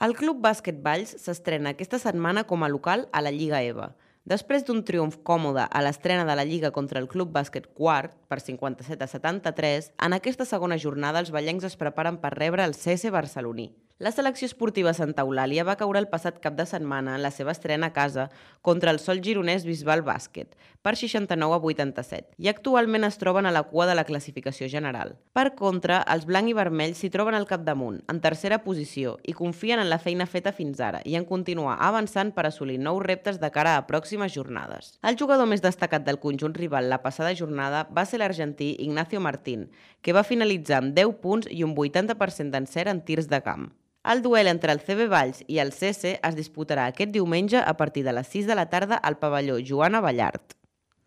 El Club Bàsquet Valls s'estrena aquesta setmana com a local a la Lliga EVA. Després d'un triomf còmode a l'estrena de la Lliga contra el Club Bàsquet Quart, per 57-73, en aquesta segona jornada els vallencs es preparen per rebre el CS barceloní. La selecció esportiva Santa Eulàlia va caure el passat cap de setmana en la seva estrena a casa contra el Sol Gironès Bisbal Bàsquet, per 69-87, i actualment es troben a la cua de la classificació general. Per contra, els blanc i vermells s'hi troben al capdamunt, en tercera posició, i confien en la feina feta fins ara i en continuar avançant per assolir nous reptes de cara a pròximes jornades. El jugador més destacat del conjunt rival la passada jornada va ser l'argentí Ignacio Martín, que va finalitzar amb 10 punts i un 80% d'encert en tirs de camp. El duel entre el CB Valls i el CS es disputarà aquest diumenge a partir de les 6 de la tarda al pavelló Joana Ballart.